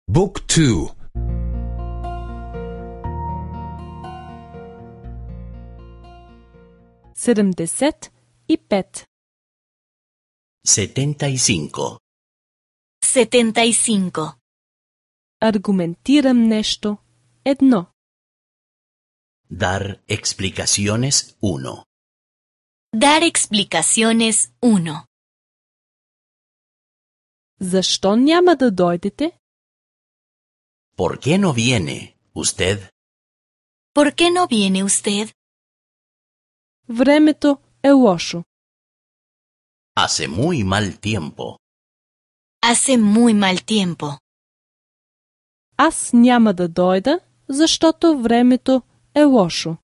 Book 2. 75. 75. 75. Аргументирам нещо. 1. Dar explicaciones 1. Dar explicaciones 1. Защо няма да дойдете? ¿Por qué no viene usted? ¿Por qué no viene usted? Времето е лошо. Hace muy mal tiempo. Hace muy mal tiempo. Аз няма да дойда, защото времето е лошо.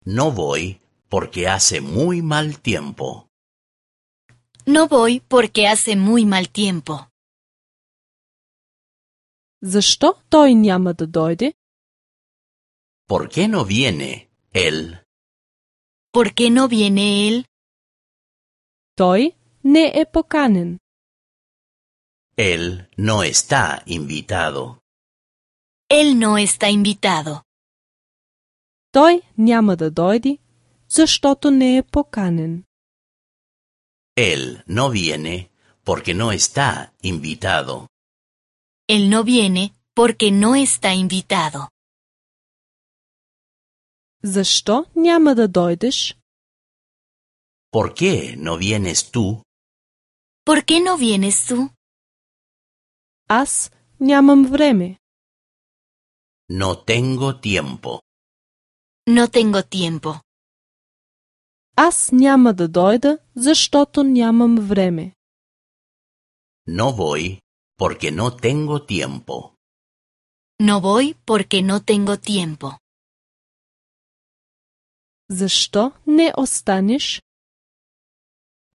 No voy porque hace muy mal tiempo. No voy porque hace muy mal tiempo. Защо той няма да дойде? ¿Por qué no viene él? ¿Por qué no viene él? Той не е поканен. Él no está invitado. Él no está invitado. Той няма да дойде, защото не е поканен. Él no viene porque no está invitado. Él no viene porque no está invitado. Защо няма да дойдеш? ¿Por qué no vienes tú? ¿Por qué no vienes tú? Аз нямам време. No tengo tiempo. No tengo tiempo. Аз няма да дойда, защото нямам време. No voy porque no tengo tiempo. No voy porque no tengo tiempo. Защо не останеш?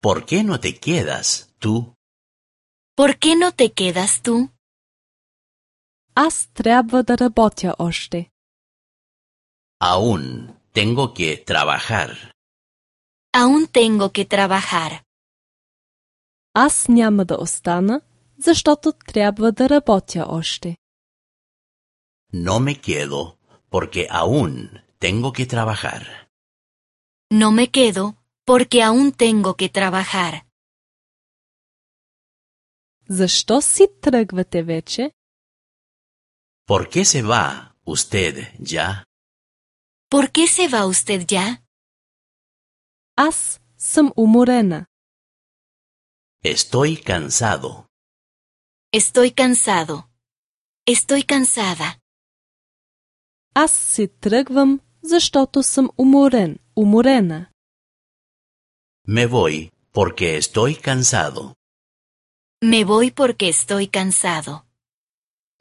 ¿Por qué no te quedas tú? ¿Por qué no te quedas tú? Аз трябва да работя още. Aún tengo que trabajar. Aún tengo que trabajar. Аз няма да остана, защото трябва да работя още. No me quedo porque aún tengo que trabajar. No me quedo porque aún tengo que trabajar. Защо си тръгвате вече? ¿Por qué se va usted ya? ¿Por qué se va usted ya? Аз съм уморена. Estoy cansado. Estoy cansado. Estoy cansada. Аз си тръгвам, защото съм уморен, уморена. Me voy porque estoy cansado. Me voy porque estoy cansado.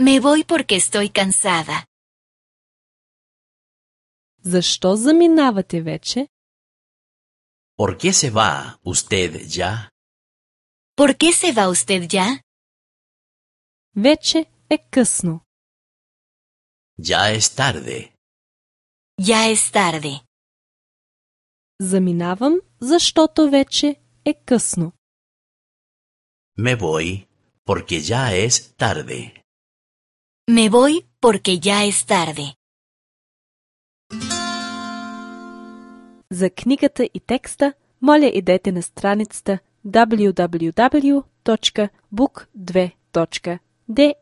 Me voy porque estoy cansada. Защо заминавате вече? ¿Por qué se va usted ya? ¿Por qué se va usted ya? Вече е късно. Ya es tarde. Ya es tarde. Заминавам, защото вече е късно. Me voy porque ya es tarde. Me voy porque ya es tarde. За книгата и текста, моля идете на страницата www.book2.de.